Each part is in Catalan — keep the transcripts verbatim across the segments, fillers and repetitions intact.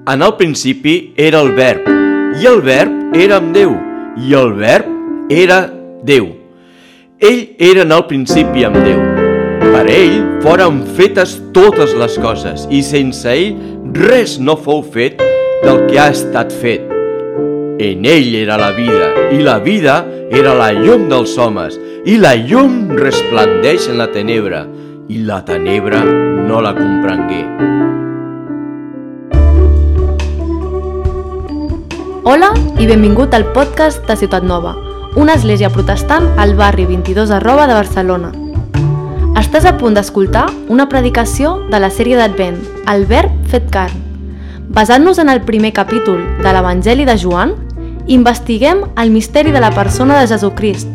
En el principi era el verb, i el verb era amb Déu, i el verb era Déu. Ell era en el principi amb Déu. Per ell foren fetes totes les coses, i sense ell res no fou fet del que ha estat fet. En ell era la vida, i la vida era la llum dels homes, i la llum resplandeix en la tenebra, i la tenebra no la comprengué. Hola i benvingut al podcast de Ciutat Nova, una església protestant al barri vint-i-dos arroba de Barcelona. Estàs a punt d'escoltar una predicació de la sèrie d'Advent, El Verb fet carn. Basant-nos en el primer capítol de l'Evangeli de Joan, investiguem el misteri de la persona de Jesucrist,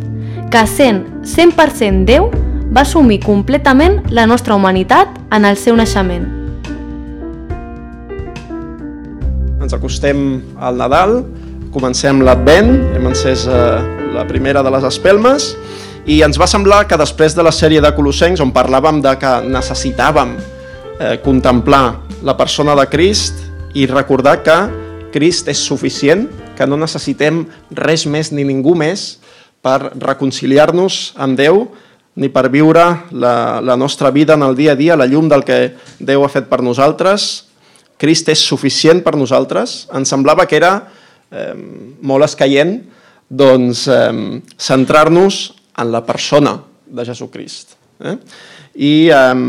que sent cent per cent Déu va assumir completament la nostra humanitat en el seu naixement. Ens acostem al Nadal, comencem l'Advent, hem encès eh, la primera de les espelmes i ens va semblar que després de la sèrie de Colossencs, on parlàvem de que necessitàvem eh, contemplar la persona de Crist i recordar que Crist és suficient, que no necessitem res més ni ningú més per reconciliar-nos amb Déu ni per viure la, la nostra vida en el dia a dia, la llum del que Déu ha fet per nosaltres. Crist és suficient per nosaltres. Ens semblava que era eh, molt escaient doncs, eh, centrar-nos en la persona de Jesucrist. Eh? I eh,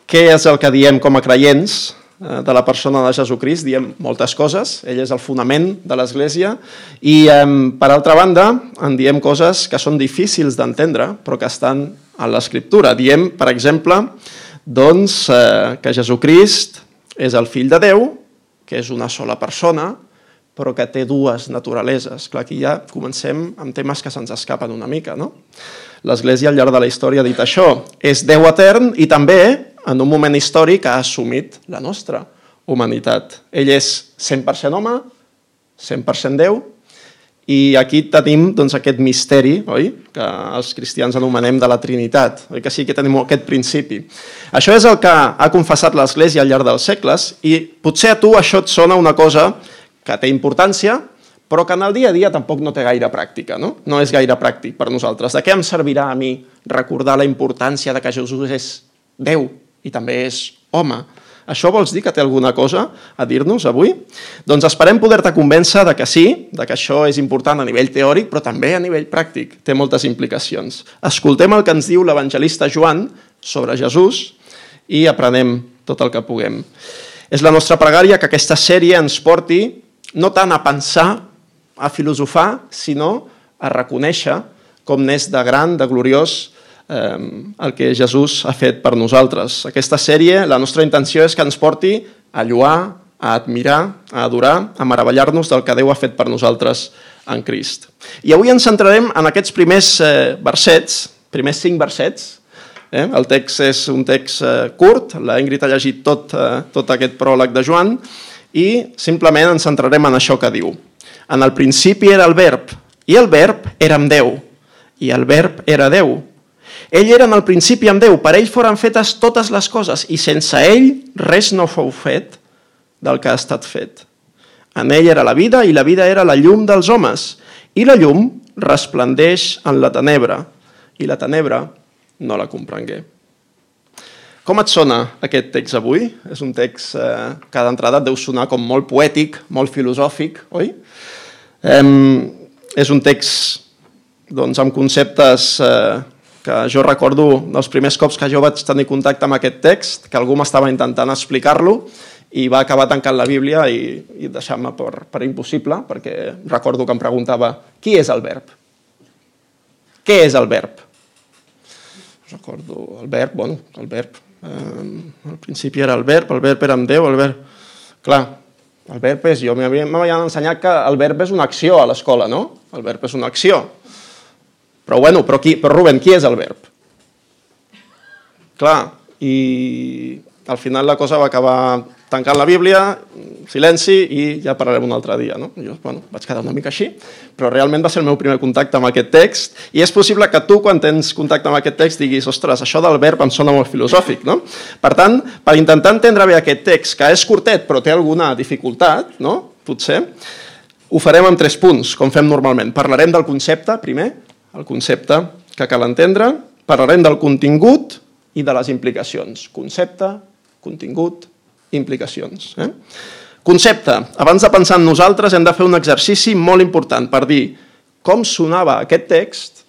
què és el que diem com a creients eh, de la persona de Jesucrist? Diem moltes coses, ell és el fonament de l'Església, i eh, per altra banda en diem coses que són difícils d'entendre, però que estan a l'Escriptura. Diem, per exemple, doncs, eh, que Jesucrist és el fill de Déu, que és una sola persona, però que té dues naturaleses. Clar, aquí ja comencem amb temes que se'ns escapen una mica, no? L'Església al llarg de la història ha dit això. És Déu etern i també, en un moment històric, ha assumit la nostra humanitat. Ell és cent per cent home, cent per cent Déu, i aquí tenim doncs, aquest misteri, oi? Que els cristians anomenem de la Trinitat, oi que sí que tenim aquest principi. Això és el que ha confessat l'Església al llarg dels segles i potser a tu això et sona una cosa que té importància, però que en el dia a dia tampoc no té gaire pràctica, no? No és gaire pràctic per nosaltres. De què em servirà a mi recordar la importància de que Jesús és Déu i també és home? Això vols dir que té alguna cosa a dir-nos avui? Doncs esperem poder-te convèncer de que sí, de que això és important a nivell teòric, però també a nivell pràctic. Té moltes implicacions. Escoltem el que ens diu l'evangelista Joan sobre Jesús i aprenem tot el que puguem. És la nostra pregària que aquesta sèrie ens porti no tant a pensar, a filosofar, sinó a reconèixer com n'és de gran, de gloriós, el que Jesús ha fet per nosaltres. Aquesta sèrie, la nostra intenció és que ens porti a lloar, a admirar, a adorar, a meravellar-nos del que Déu ha fet per nosaltres en Crist. I avui ens centrarem en aquests primers eh, versets, primers cinc versets. Eh? El text és un text eh, curt, la Ingrid ha llegit tot, eh, tot aquest pròleg de Joan, i simplement ens centrarem en això que diu. En el principi era el verb, i el verb era amb Déu, i el verb era Déu. Ell era en el principi amb Déu, per ell foren fetes totes les coses, i sense ell res no fou fet del que ha estat fet. En ell era la vida, i la vida era la llum dels homes, i la llum resplandeix en la tenebra, i la tenebra no la comprengué. Com et sona aquest text avui? És un text eh, que d'entrada deu sonar com molt poètic, molt filosòfic, oi? Eh, és un text doncs, amb conceptes eh, que jo recordo dels primers cops que jo vaig tenir contacte amb aquest text, que algú m'estava intentant explicar-lo i va acabar tancant la Bíblia i, i deixant-me per, per impossible, perquè recordo que em preguntava qui és el verb? Què és el verb? Recordo el verb, bueno, el verb. Eh, al principi era el verb, el verb era amb Déu, el verb... Clar, el verb és... Jo m'havien ensenyat que el verb és una acció a l'escola, no? El verb és una acció. Però, bueno, però, qui, però Rubén, qui és el verb? Clar, i al final la cosa va acabar tancant la Bíblia, silenci i ja parlarem un altre dia. No? Jo bueno, vaig quedar una mica així, però realment va ser el meu primer contacte amb aquest text i és possible que tu, quan tens contacte amb aquest text, diguis, ostres, això del verb em sona molt filosòfic. No? Per tant, per intentar entendre bé aquest text, que és curtet però té alguna dificultat, no? Potser, ho farem en tres punts, com fem normalment. Parlarem del concepte, primer, el concepte que cal entendre, parlarem del contingut i de les implicacions. Concepte, contingut, implicacions. Eh? Concepte. Abans de pensar en nosaltres hem de fer un exercici molt important per dir com sonava aquest text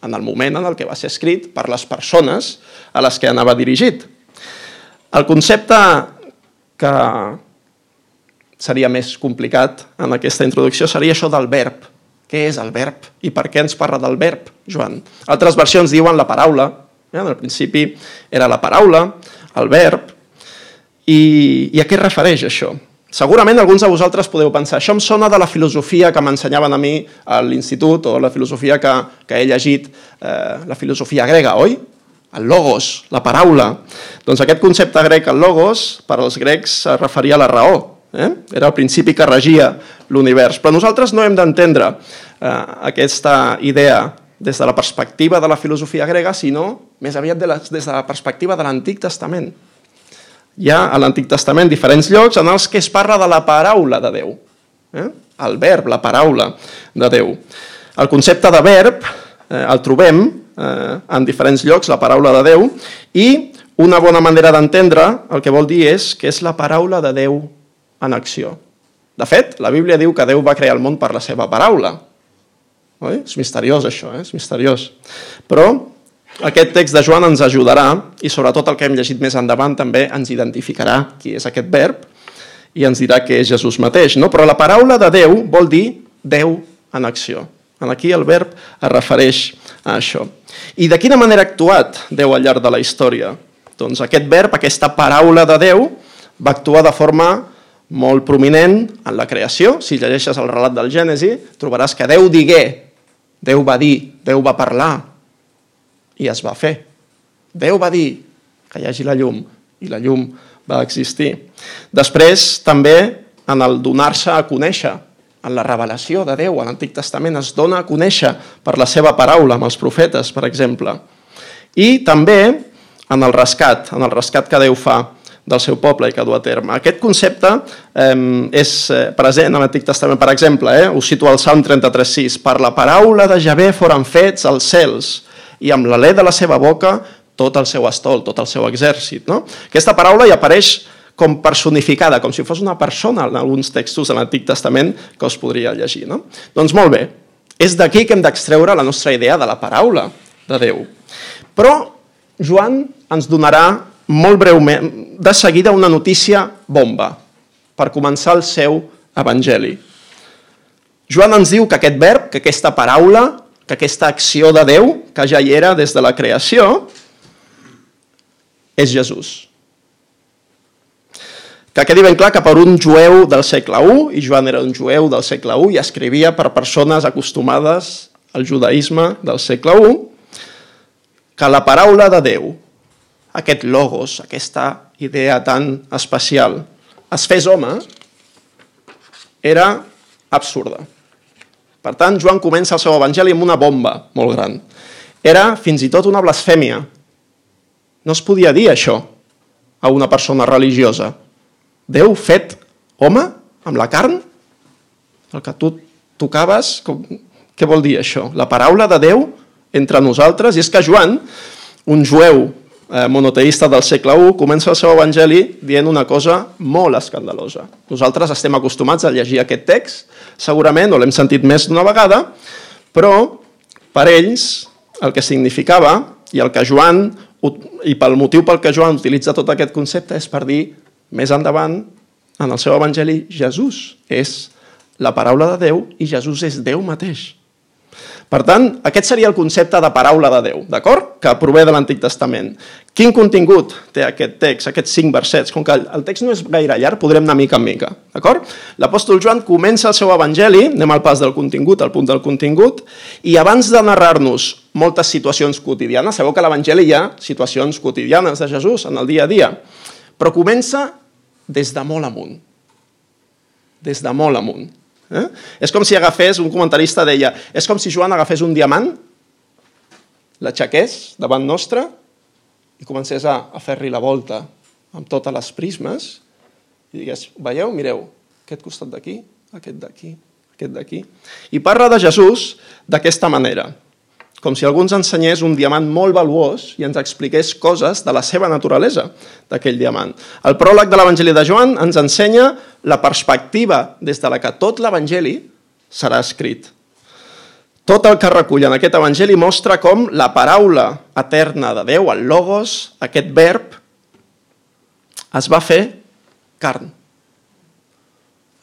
en el moment en el que va ser escrit per les persones a les que anava dirigit. El concepte que seria més complicat en aquesta introducció seria això del verb. Què és el verb? I per què ens parla del verb, Joan? Altres versions diuen la paraula. Eh? En el principi era la paraula, el verb. I, I a què es refereix això? Segurament alguns de vosaltres podeu pensar això em sona de la filosofia que m'ensenyaven a mi a l'institut o la filosofia que, que he llegit, eh, la filosofia grega, oi? El logos, la paraula. Doncs aquest concepte grec, el logos, per als grecs es referia a la raó. Eh? Era el principi que regia l'univers. Però nosaltres no hem d'entendre eh, aquesta idea des de la perspectiva de la filosofia grega, sinó més aviat de la, des de la perspectiva de l'Antic Testament. Hi ha a l'Antic Testament diferents llocs en els que es parla de la paraula de Déu. Eh? El verb, la paraula de Déu. El concepte de verb eh, el trobem eh, en diferents llocs, la paraula de Déu, i una bona manera d'entendre el que vol dir és que és la paraula de Déu en acció. De fet, la Bíblia diu que Déu va crear el món per la seva paraula. Oi? És misteriós això, eh? És misteriós. Però aquest text de Joan ens ajudarà i sobretot el que hem llegit més endavant també ens identificarà qui és aquest verb i ens dirà que és Jesús mateix. No? Però la paraula de Déu vol dir Déu en acció. Aquí el verb es refereix a això. I de quina manera ha actuat Déu al llarg de la història? Doncs aquest verb, aquesta paraula de Déu, va actuar de forma molt prominent en la creació. Si llegeixes el relat del Gènesi, trobaràs que Déu digué, Déu va dir, Déu va parlar, i es va fer. Déu va dir que hi hagi la llum i la llum va existir. Després, també, en el donar-se a conèixer, en la revelació de Déu, a l'Antic Testament es dona a conèixer per la seva paraula, amb els profetes, per exemple. I també en el rescat, en el rescat que Déu fa del seu poble i que du a terme. Aquest concepte eh, és present a l'Antic Testament, per exemple, eh, us cito al Salm trenta-tres sis, per la paraula de Javé foren fets els cels, i amb l'alè de la seva boca tot el seu estol, tot el seu exèrcit. No? Aquesta paraula hi apareix com personificada, com si fos una persona en alguns textos de l'Antic Testament que us podria llegir. No? Doncs molt bé, és d'aquí que hem d'extreure la nostra idea de la paraula de Déu. Però Joan ens donarà molt breument, de seguida, una notícia bomba per començar el seu evangeli. Joan ens diu que aquest verb, que aquesta paraula, que aquesta acció de Déu, que ja hi era des de la creació, és Jesús. Que quedi ben clar que per un jueu del segle u, i Joan era un jueu del segle u i escrivia per persones acostumades al judaïsme del segle u, que la paraula de Déu, aquest logos, aquesta idea tan especial, es fes home, era absurda. Per tant, Joan comença el seu evangeli amb una bomba molt gran. Era fins i tot una blasfèmia. No es podia dir això a una persona religiosa. Déu fet home, amb la carn? El que tu tocaves? Com... Què vol dir això? La paraula de Déu entre nosaltres. I és que Joan, un jueu monoteista del segle u, comença el seu evangeli dient una cosa molt escandalosa. Nosaltres estem acostumats a llegir aquest text, segurament, o l'hem sentit més d'una vegada, però per ells el que significava, i el que Joan, i pel motiu pel que Joan utilitza tot aquest concepte, és per dir, més endavant, en el seu evangeli, Jesús és la paraula de Déu i Jesús és Déu mateix. Per tant, aquest seria el concepte de paraula de Déu, d'acord? Que prové de l'Antic Testament. Quin contingut té aquest text, aquests cinc versets? Com que el text no és gaire llarg, podrem anar mica en mica, d'acord? L'apòstol Joan comença el seu evangeli, anem al pas del contingut, al punt del contingut, i abans de narrar-nos moltes situacions quotidianes, sabeu que a l'evangeli hi ha situacions quotidianes de Jesús en el dia a dia, però comença des de molt amunt. Des de molt amunt. Eh? És com si agafés, un comentarista deia, és com si Joan agafés un diamant, l'aixequés davant nostre i comencés a, a fer-li la volta amb totes les prismes i digués, veieu, mireu, aquest costat d'aquí, aquest d'aquí, aquest d'aquí. I parla de Jesús d'aquesta manera, com si algú ens ensenyés un diamant molt valuós i ens expliqués coses de la seva naturalesa d'aquell diamant. El pròleg de l'Evangeli de Joan ens ensenya la perspectiva des de la que tot l'Evangeli serà escrit. Tot el que recull en aquest Evangeli mostra com la paraula eterna de Déu, el Logos, aquest verb, es va fer carn.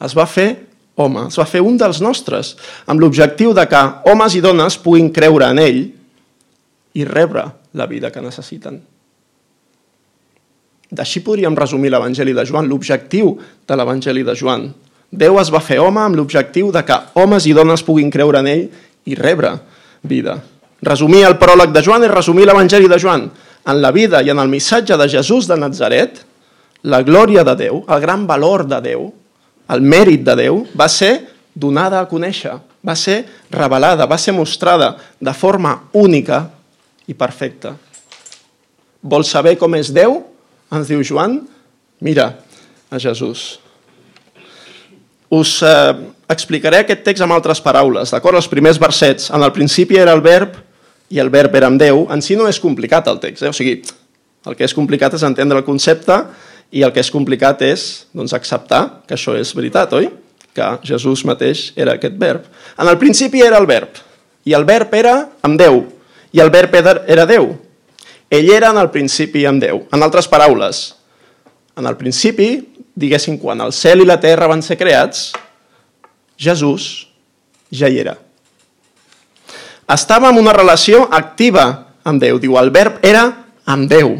Es va fer home, es va fer un dels nostres, amb l'objectiu de que homes i dones puguin creure en ell i rebre la vida que necessiten. D'així podríem resumir l'Evangeli de Joan, l'objectiu de l'Evangeli de Joan. Déu es va fer home amb l'objectiu de que homes i dones puguin creure en ell i rebre vida. Resumir el pròleg de Joan és resumir l'Evangeli de Joan. En la vida i en el missatge de Jesús de Natzaret, la glòria de Déu, el gran valor de Déu, el mèrit de Déu va ser donada a conèixer, va ser revelada, va ser mostrada de forma única i perfecta. Vols saber com és Déu? Ens diu Joan, mira a Jesús. Us eh, explicaré aquest text amb altres paraules, d'acord? Els primers versets. En el principi era el verb i el verb era amb Déu. En si no és complicat el text, eh? O sigui, el que és complicat és entendre el concepte i el que és complicat és doncs, acceptar que això és veritat, oi? Que Jesús mateix era aquest verb. En el principi era el verb, i el verb era amb Déu, i el verb era Déu. Ell era en el principi amb Déu. En altres paraules, en el principi, diguéssim, quan el cel i la terra van ser creats, Jesús ja hi era. Estava en una relació activa amb Déu. Diu, el verb era amb Déu.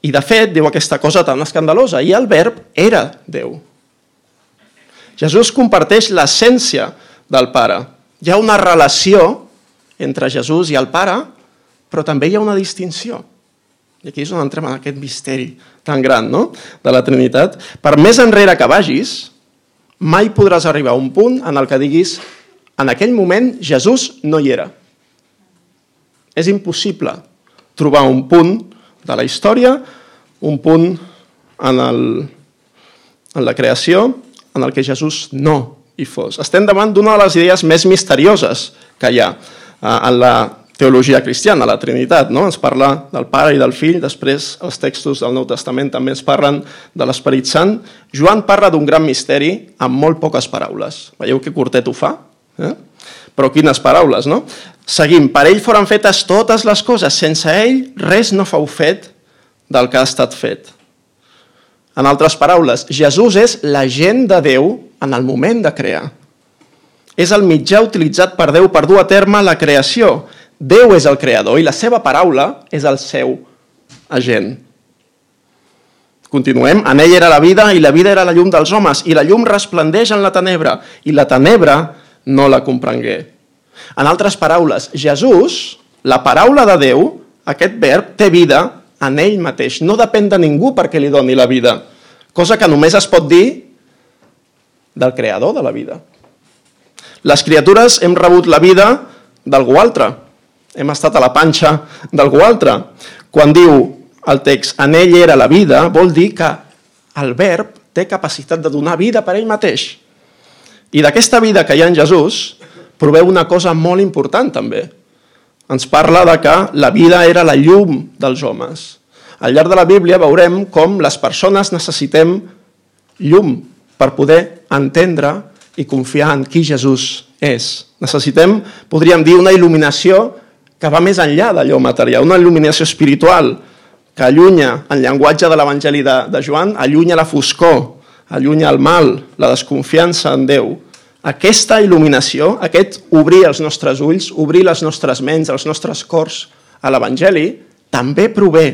I de fet, diu aquesta cosa tan escandalosa, i el verb era Déu. Jesús comparteix l'essència del Pare. Hi ha una relació entre Jesús i el Pare, però també hi ha una distinció. I aquí és on entrem en aquest misteri tan gran, no?, de la Trinitat. Per més enrere que vagis, mai podràs arribar a un punt en el que diguis en aquell moment Jesús no hi era. És impossible trobar un punt de la història, un punt en, el, en la creació en el que Jesús no hi fos. Estem davant d'una de les idees més misterioses que hi ha en la teologia cristiana, la Trinitat, no? Ens parla del Pare i del Fill, després els textos del Nou Testament també ens parlen de l'Esperit Sant. Joan parla d'un gran misteri amb molt poques paraules. Veieu que curtet ho fa? Eh? Però quines paraules, no? Seguim. Per ell foren fetes totes les coses. Sense ell, res no fou fet del que ha estat fet. En altres paraules, Jesús és l'agent de Déu en el moment de crear. És el mitjà utilitzat per Déu per dur a terme la creació. Déu és el creador i la seva paraula és el seu agent. Continuem. En ell era la vida i la vida era la llum dels homes i la llum resplendeix en la tenebra i la tenebra no la comprengué. En altres paraules, Jesús, la paraula de Déu, aquest verb, té vida en ell mateix. No depèn de ningú perquè li doni la vida. Cosa que només es pot dir del creador de la vida. Les criatures hem rebut la vida d'algú altre. Hem estat a la panxa d'algú altre. Quan diu el text, en ell era la vida, vol dir que el verb té capacitat de donar vida per ell mateix. I d'aquesta vida que hi ha en Jesús, proveu una cosa molt important també. Ens parla de que la vida era la llum dels homes. Al llarg de la Bíblia veurem com les persones necessitem llum per poder entendre i confiar en qui Jesús és. Necessitem, podríem dir, una il·luminació que va més enllà d'allò material, una il·luminació espiritual que allunya, en llenguatge de l'Evangeli de, de Joan, allunya la foscor, allunya el mal, la desconfiança en Déu. Aquesta il·luminació, aquest obrir els nostres ulls, obrir les nostres ments, els nostres cors a l'Evangeli, també prové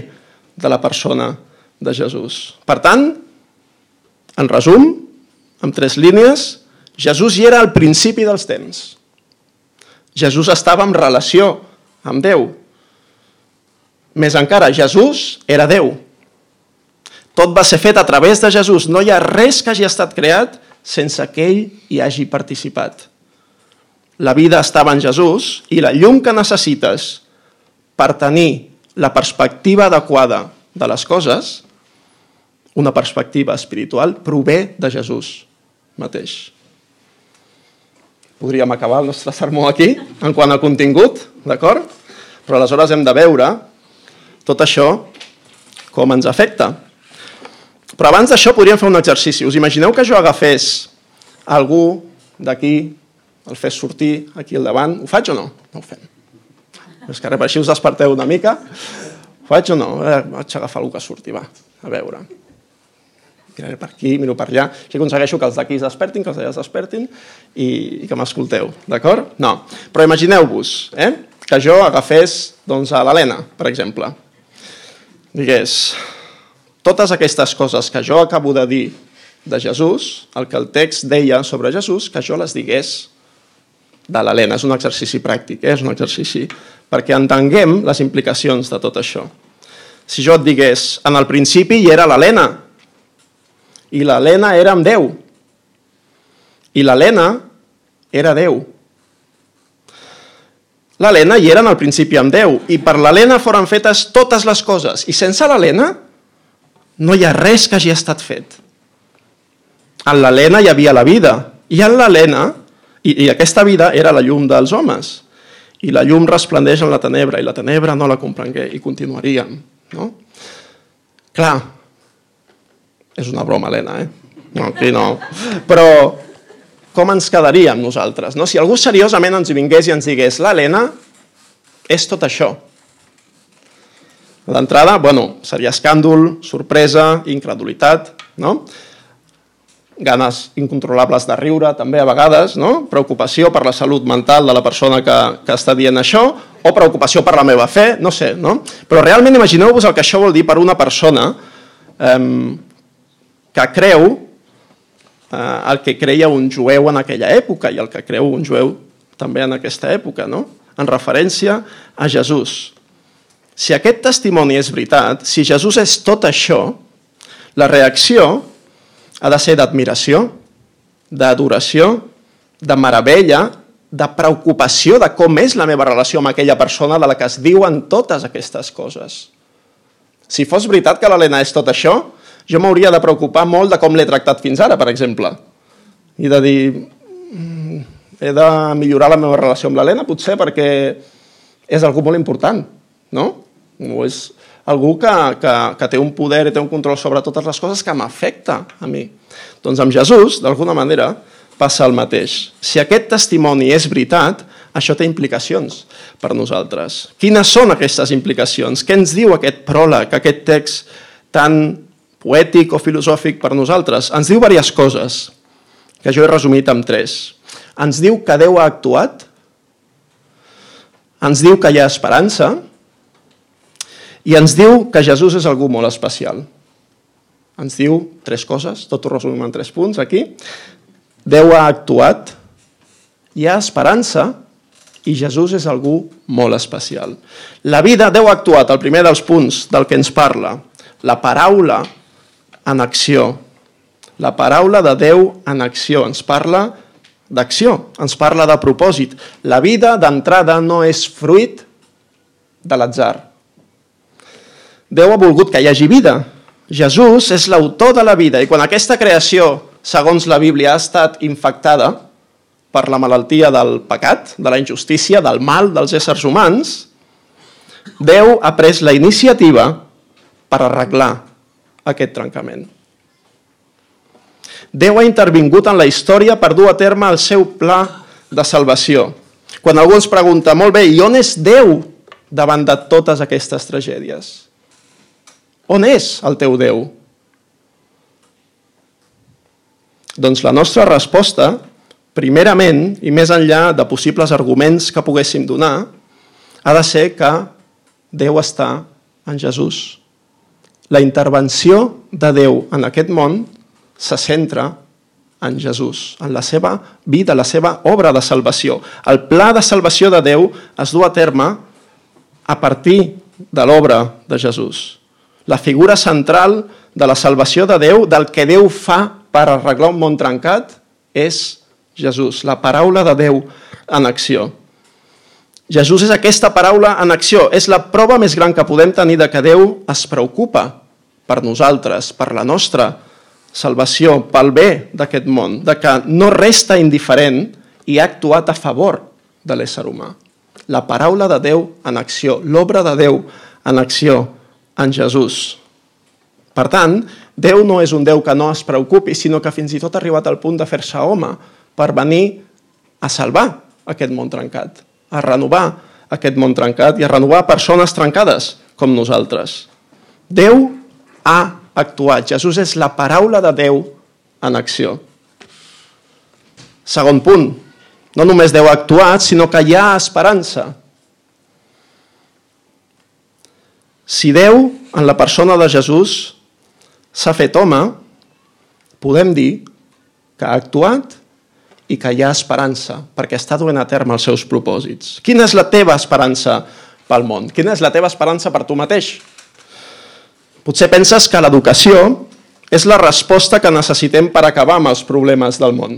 de la persona de Jesús. Per tant, en resum, en tres línies, Jesús hi era al principi dels temps. Jesús estava en relació amb Déu. Més encara, Jesús era Déu. Tot va ser fet a través de Jesús. No hi ha res que hagi estat creat sense que ell hi hagi participat. La vida estava en Jesús i la llum que necessites per tenir la perspectiva adequada de les coses, una perspectiva espiritual, prové de Jesús mateix. Podríem acabar el nostre sermó aquí, en quant a contingut, d'acord? Però aleshores hem de veure tot això com ens afecta. Però abans d'això podríem fer un exercici. Us imagineu que jo agafés algú d'aquí, el fes sortir aquí al davant? Ho faig o no? No ho fem. És que per així us desperteu una mica. Ho faig o no? Eh, vaig agafar algú que surti, va, a veure. Miraré per aquí, miro per allà. Així aconsegueixo que els d'aquí es despertin, que els d'allà es despertin i, i que m'escolteu, d'acord? No. Però imagineu-vos eh, que jo agafés doncs, a l'Helena, per exemple. Digués, totes aquestes coses que jo acabo de dir de Jesús, el que el text deia sobre Jesús, que jo les digués de l'Helena. És un exercici pràctic, eh? És un exercici perquè entenguem les implicacions de tot això. Si jo et digués, en el principi hi era l'Helena, i l'Helena era amb Déu, i l'Helena era Déu. L'Helena hi era en el principi amb Déu, i per l'Helena foren fetes totes les coses, i sense l'Helena no hi ha res que hagi estat fet. En l'Helena hi havia la vida, i en l'Helena, i, i aquesta vida era la llum dels homes, i la llum resplendeix en la tenebra, i la tenebra no la comprengué, i continuaríem. No? Clar, és una broma, Helena, eh? No, aquí no. Però com ens quedaríem nosaltres? No? Si algú seriosament ens hi vingués i ens digués l'Helena és tot això. D'entrada, bueno, seria escàndol, sorpresa, incredulitat, no? Ganes incontrolables de riure, també a vegades, no? Preocupació per la salut mental de la persona que, que està dient això, o preocupació per la meva fe, no sé, no? Però realment imagineu-vos el que això vol dir per una persona eh, que creu eh, el que creia un jueu en aquella època i el que creu un jueu també en aquesta època, no? En referència a Jesús. Si aquest testimoni és veritat, si Jesús és tot això, la reacció ha de ser d'admiració, d'adoració, de meravella, de preocupació de com és la meva relació amb aquella persona de la que es diuen totes aquestes coses. Si fos veritat que l'Helena és tot això, jo m'hauria de preocupar molt de com l'he tractat fins ara, per exemple. I de dir, he de millorar la meva relació amb l'Helena, potser perquè és algú molt important, no? O és algú que, que, que té un poder i té un control sobre totes les coses que m'afecta a mi. Doncs amb Jesús, d'alguna manera, passa el mateix. Si aquest testimoni és veritat, això té implicacions per nosaltres. Quines són aquestes implicacions? Què ens diu aquest pròleg, aquest text tan poètic o filosòfic per nosaltres? Ens diu diverses coses, que jo he resumit en tres. Ens diu que Déu ha actuat, ens diu que hi ha esperança, i ens diu que Jesús és algú molt especial. Ens diu tres coses, tot ho resumim en tres punts aquí. Déu ha actuat, hi ha esperança i Jesús és algú molt especial. La vida, Déu ha actuat, el primer dels punts del que ens parla. La paraula en acció. La paraula de Déu en acció. Ens parla d'acció, ens parla de propòsit. La vida d'entrada no és fruit de l'atzar. Déu ha volgut que hi hagi vida. Jesús és l'autor de la vida i quan aquesta creació, segons la Bíblia, ha estat infectada per la malaltia del pecat, de la injustícia, del mal dels éssers humans, Déu ha pres la iniciativa per arreglar aquest trencament. Déu ha intervingut en la història per dur a terme el seu pla de salvació. Quan algú ens pregunta, molt bé, i on és Déu davant de totes aquestes tragèdies? On és el teu Déu? Doncs la nostra resposta, primerament, i més enllà de possibles arguments que poguéssim donar, ha de ser que Déu està en Jesús. La intervenció de Déu en aquest món se centra en Jesús, en la seva vida, la seva obra de salvació. El pla de salvació de Déu es du a terme a partir de l'obra de Jesús. La figura central de la salvació de Déu, del que Déu fa per arreglar un món trencat, és Jesús, la paraula de Déu en acció. Jesús és aquesta paraula en acció, és la prova més gran que podem tenir de que Déu es preocupa per nosaltres, per la nostra salvació, pel bé d'aquest món, de que no resta indiferent i ha actuat a favor de l'ésser humà. La paraula de Déu en acció, l'obra de Déu en acció en Jesús. Per tant, Déu no és un Déu que no es preocupi, sinó que fins i tot ha arribat al punt de fer-se home per venir a salvar aquest món trencat, a renovar aquest món trencat i a renovar persones trencades com nosaltres. Déu ha actuat. Jesús és la paraula de Déu en acció. Segon punt, no només Déu ha actuat, sinó que hi ha esperança. Si Déu, en la persona de Jesús, s'ha fet home, podem dir que ha actuat i que hi ha esperança, perquè està duent a terme els seus propòsits. Quina és la teva esperança pel món? Quina és la teva esperança per tu mateix? Potser penses que l'educació és la resposta que necessitem per acabar amb els problemes del món.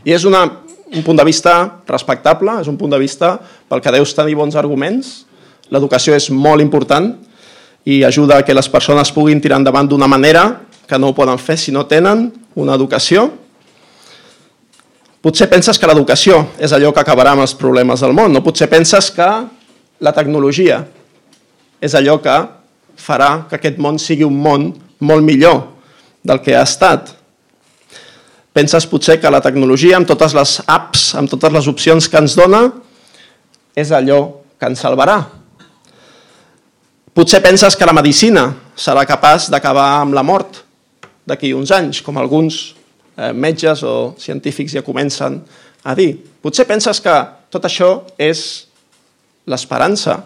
I és una, un punt de vista respectable, és un punt de vista pel que deus tenir bons arguments. L'educació és molt important i ajuda a que les persones puguin tirar endavant d'una manera que no ho poden fer si no tenen una educació. Potser penses que l'educació és allò que acabarà amb els problemes del món, no? Potser penses que la tecnologia és allò que farà que aquest món sigui un món molt millor del que ha estat. Penses potser que la tecnologia, amb totes les apps, amb totes les opcions que ens dona, és allò que ens salvarà. Potser penses que la medicina serà capaç d'acabar amb la mort d'aquí uns anys, com alguns metges o científics ja comencen a dir. Potser penses que tot això és l'esperança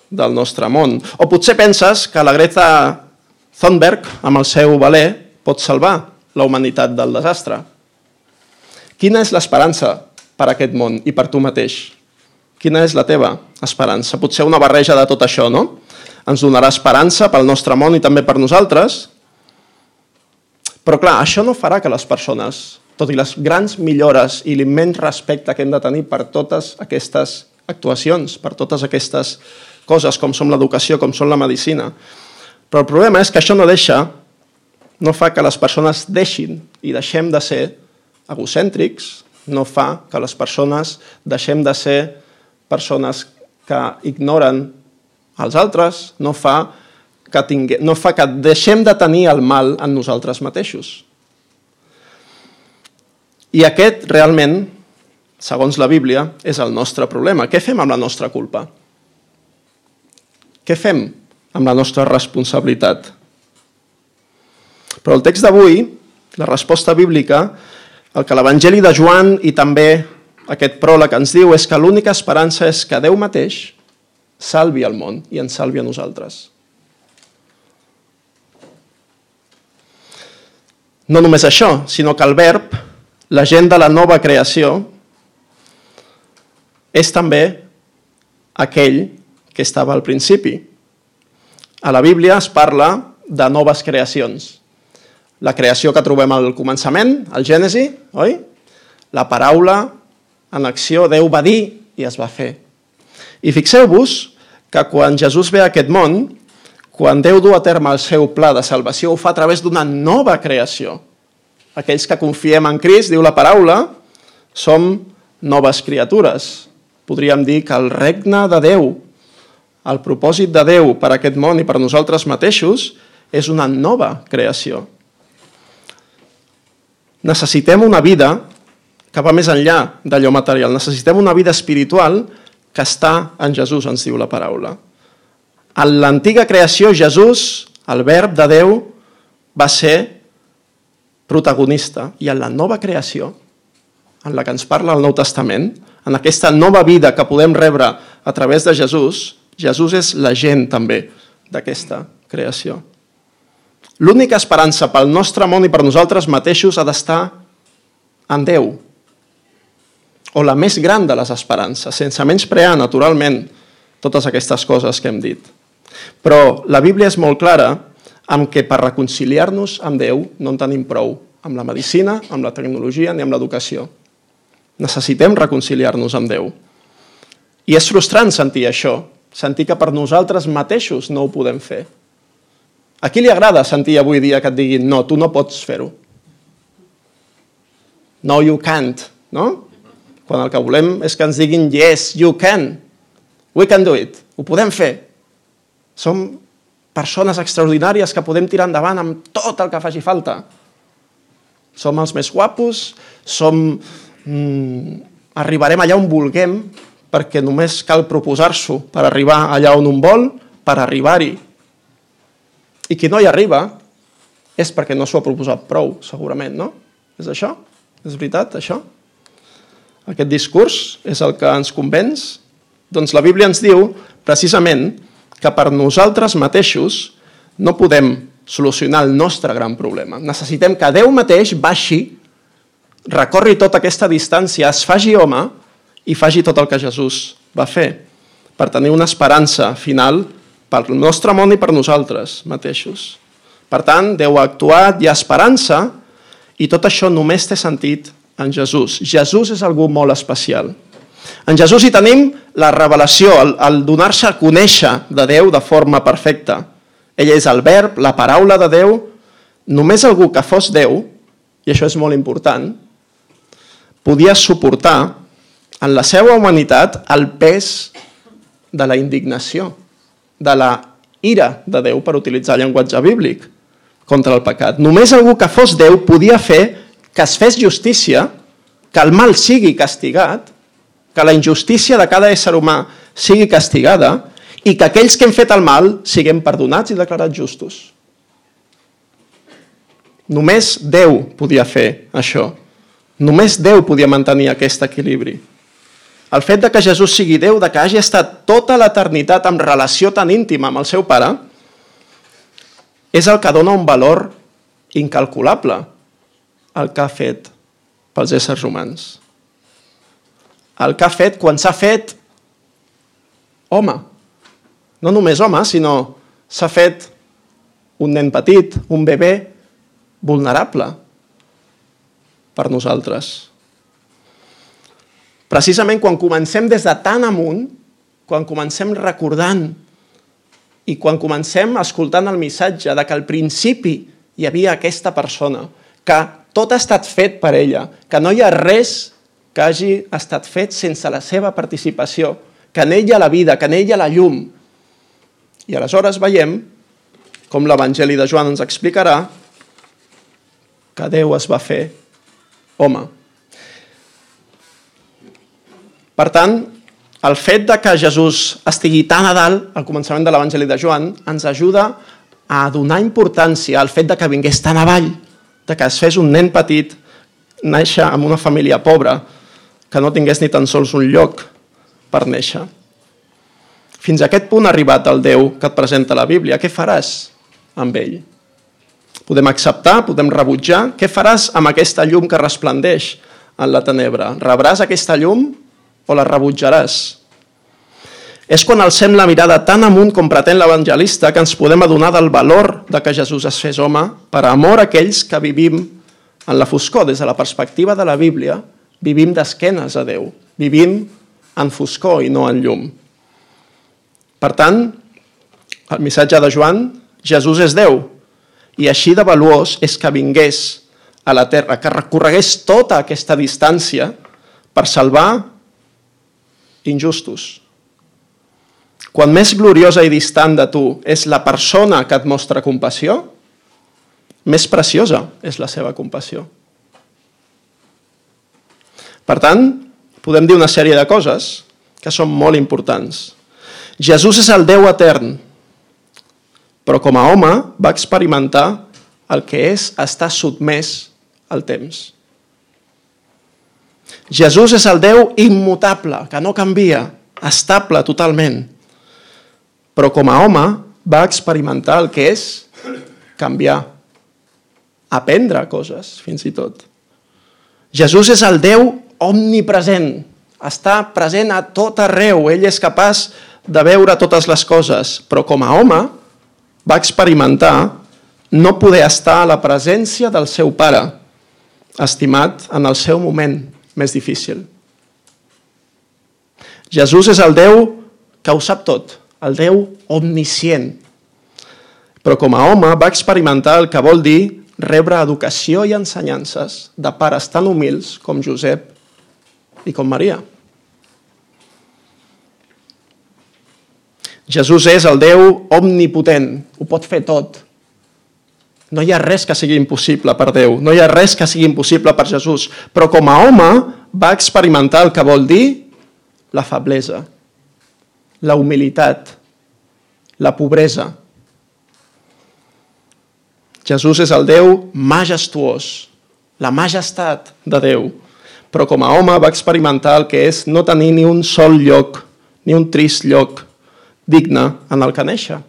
del nostre món. O potser penses que la Greta Thunberg, amb el seu veler, pot salvar la humanitat del desastre. Quina és l'esperança per a aquest món i per tu mateix? Quina és la teva esperança? Potser una barreja de tot això, no? Ens donarà esperança pel nostre món i també per nosaltres. Però clar, això no farà que les persones, tot i les grans millores i l'immens respecte que hem de tenir per totes aquestes actuacions, per totes aquestes coses com són l'educació, com són la medicina. Però el problema és que això no deixa, no fa que les persones deixin i deixem de ser egocèntrics, no fa que les persones deixem de ser persones que ignoren els altres, no fa que, tingue, no fa que deixem de tenir el mal en nosaltres mateixos. I aquest, realment, segons la Bíblia, és el nostre problema. Què fem amb la nostra culpa? Què fem amb la nostra responsabilitat? Però el text d'avui, la resposta bíblica, el que l'Evangeli de Joan i també aquest pròleg ens diu és que l'única esperança és que Déu mateix salvi el món i ens salvi a nosaltres. No només això, sinó que el verb, la gent de la nova creació, és també aquell que estava al principi. A la Bíblia es parla de noves creacions. La creació que trobem al començament, al Gènesi, oi? La paraula en acció, Déu va dir i es va fer. I fixeu-vos que quan Jesús ve a aquest món, quan Déu du a terme el seu pla de salvació, ho fa a través d'una nova creació. Aquells que confiem en Crist, diu la paraula, som noves criatures. Podríem dir que el regne de Déu, el propòsit de Déu per a aquest món i per a nosaltres mateixos, és una nova creació. Necessitem una vida que va més enllà d'allò material. Necessitem una vida espiritual que està en Jesús, ens diu la paraula. En l'antiga creació, Jesús, el verb de Déu, va ser protagonista. I en la nova creació, en la que ens parla el Nou Testament, en aquesta nova vida que podem rebre a través de Jesús, Jesús és l'agent també d'aquesta creació. L'única esperança pel nostre món i per nosaltres mateixos ha d'estar en Déu, o la més gran de les esperances, sense menysprear, naturalment, totes aquestes coses que hem dit. Però la Bíblia és molt clara amb que per reconciliar-nos amb Déu no en tenim prou amb la medicina, amb la tecnologia ni amb l'educació. Necessitem reconciliar-nos amb Déu. I és frustrant sentir això, sentir que per nosaltres mateixos no ho podem fer. A qui li agrada sentir avui dia que et diguin no, tu no pots fer-ho? No, you can't, no? Quan el que volem és que ens diguin yes, you can, we can do it, ho podem fer. Som persones extraordinàries que podem tirar endavant amb tot el que faci falta. Som els més guapos, som... Mm, arribarem allà on vulguem, perquè només cal proposar-s'ho per arribar allà on un vol, per arribar-hi. I qui no hi arriba és perquè no s'ho ha proposat prou, segurament, no? És això? És veritat, això? Aquest discurs és el que ens convenç? Doncs la Bíblia ens diu, precisament, que per nosaltres mateixos no podem solucionar el nostre gran problema. Necessitem que Déu mateix baixi, recorri tota aquesta distància, es faci home i faci tot el que Jesús va fer, per tenir una esperança final per al nostre món i per nosaltres mateixos. Per tant, Déu ha actuat, hi ha esperança, i tot això només té sentit en Jesús. Jesús és algú molt especial. En Jesús hi tenim la revelació, el, el donar-se a conèixer de Déu de forma perfecta. Ell és el verb, la paraula de Déu. Només algú que fos Déu, i això és molt important, podia suportar en la seva humanitat el pes de la indignació, de la ira de Déu, per utilitzar llenguatge bíblic, contra el pecat. Només algú que fos Déu podia fer que es fes justícia, que el mal sigui castigat, que la injustícia de cada ésser humà sigui castigada i que aquells que hem fet el mal siguem perdonats i declarats justos. Només Déu podia fer això. Només Déu podia mantenir aquest equilibri. El fet de que Jesús sigui Déu, de que hagi estat tota l'eternitat en relació tan íntima amb el seu Pare, és el que dona un valor incalculable al que ha fet pels éssers humans. El que ha fet quan s'ha fet home. No només home, sinó s'ha fet un nen petit, un bebè vulnerable per nosaltres. Precisament quan comencem des de tan amunt, quan comencem recordant i quan comencem escoltant el missatge de que al principi hi havia aquesta persona, que tot ha estat fet per ella, que no hi ha res que hagi estat fet sense la seva participació, que en ella la vida, que en ella la llum. I aleshores veiem, com l'Evangeli de Joan ens explicarà, que Déu es va fer home. Per tant, el fet de que Jesús estigui tan a dalt, al començament de l'Evangeli de Joan, ens ajuda a donar importància al fet de que vingués tan avall, de que es fes un nen petit, néixer en una família pobra, que no tingués ni tan sols un lloc per néixer. Fins a aquest punt ha arribat el Déu que et presenta la Bíblia. Què faràs amb ell? Podem acceptar, podem rebutjar. Què faràs amb aquesta llum que resplendeix en la tenebra? Rebràs aquesta llum o la rebutjaràs? És quan alcem la mirada tan amunt com pretén l'evangelista que ens podem adonar del valor de que Jesús es fes home per amor a aquells que vivim en la foscor. Des de la perspectiva de la Bíblia, vivim d'esquenes a Déu. Vivim en foscor i no en llum. Per tant, el missatge de Joan, Jesús és Déu, i així de valuós és que vingués a la terra, que recorregués tota aquesta distància per salvar injustos. Quan més gloriosa i distant de tu és la persona que et mostra compassió, més preciosa és la seva compassió. Per tant, podem dir una sèrie de coses que són molt importants. Jesús és el Déu etern, però com a home va experimentar el que és estar sotmès al temps. Jesús és el Déu immutable, que no canvia, estable totalment, però com a home va experimentar el que és canviar, aprendre coses, fins i tot. Jesús és el Déu omnipresent, està present a tot arreu. Ell és capaç de veure totes les coses, però com a home va experimentar no poder estar a la presència del seu pare, estimat en el seu moment més difícil. Jesús és el Déu que ho sap tot, el Déu omniscient. Però com a home va experimentar el que vol dir rebre educació i ensenyances de pares tan humils com Josep i com Maria. Jesús és el Déu omnipotent, ho pot fer tot. No hi ha res que sigui impossible per Déu, no hi ha res que sigui impossible per Jesús, però com a home va experimentar el que vol dir la feblesa, la humilitat, la pobresa. Jesús és el Déu majestuós, la majestat de Déu, però com a home va experimentar el que és no tenir ni un sol lloc, ni un trist lloc digne en el que néixer.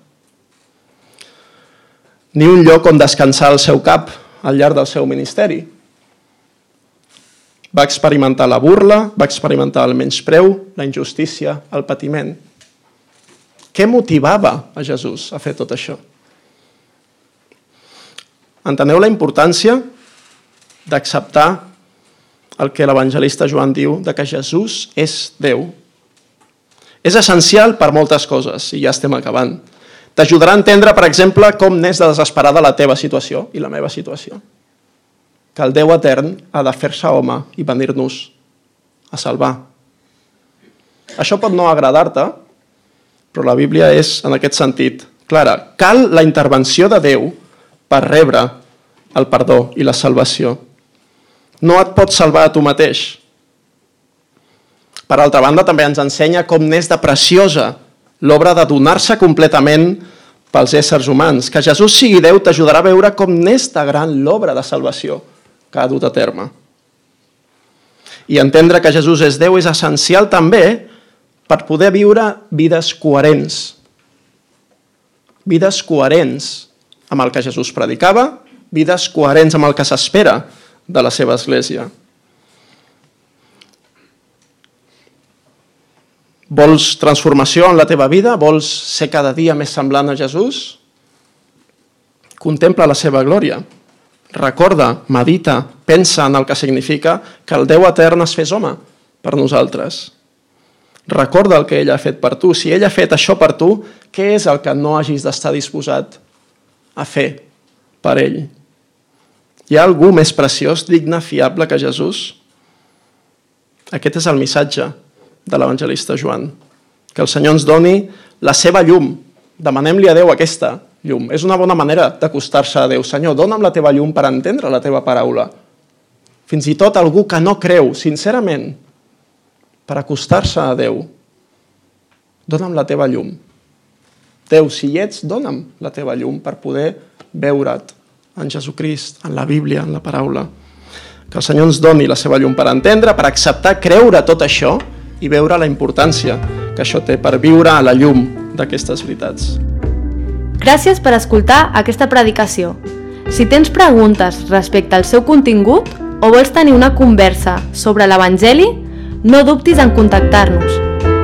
Ni un lloc on descansar el seu cap al llarg del seu ministeri. Va experimentar la burla, va experimentar el menyspreu, la injustícia, el patiment. Què motivava a Jesús a fer tot això? Enteneu la importància d'acceptar el que l'evangelista Joan diu, de que Jesús és Déu. És essencial per moltes coses, i ja estem acabant. T'ajudarà a entendre, per exemple, com n'és de desesperada la teva situació i la meva situació. Que el Déu etern ha de fer-se home i venir-nos a salvar. Això pot no agradar-te, però la Bíblia és, en aquest sentit, clara. Cal la intervenció de Déu per rebre el perdó i la salvació. No et pots salvar a tu mateix. Per altra banda, també ens ensenya com n'és de preciosa l'obra de donar-se completament pels éssers humans. Que Jesús sigui Déu t'ajudarà a veure com n'és de gran l'obra de salvació que ha dut a terme. I entendre que Jesús és Déu és essencial també per poder viure vides coherents. Vides coherents amb el que Jesús predicava, vides coherents amb el que s'espera de la seva església. Vols transformació en la teva vida? Vols ser cada dia més semblant a Jesús? Contempla la seva glòria. Recorda, medita, pensa en el que significa que el Déu etern es fes home per nosaltres. Recorda el que ell ha fet per tu. Si ell ha fet això per tu, què és el que no hagis d'estar disposat a fer per ell? Hi ha algú més preciós, digne, fiable que Jesús? Aquest és el missatge de l'evangelista Joan. Que el Senyor ens doni la seva llum. Demanem-li a Déu aquesta llum. És una bona manera d'acostar-se a Déu. Senyor, dona'm la teva llum per entendre la teva paraula. Fins i tot algú que no creu, sincerament, per acostar-se a Déu. Dona'm la teva llum. Déu, si hi ets, dona'm la teva llum per poder veure't en Jesucrist, en la Bíblia, en la paraula. Que el Senyor ens doni la seva llum per entendre, per acceptar, creure tot això i veure la importància que això té per viure a la llum d'aquestes veritats. Gràcies per escoltar aquesta predicació. Si tens preguntes respecte al seu contingut o vols tenir una conversa sobre l'Evangeli, no dubtis en contactar-nos.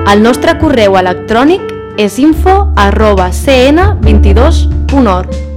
El nostre correu electrònic és info arroba c n vint dos punt org.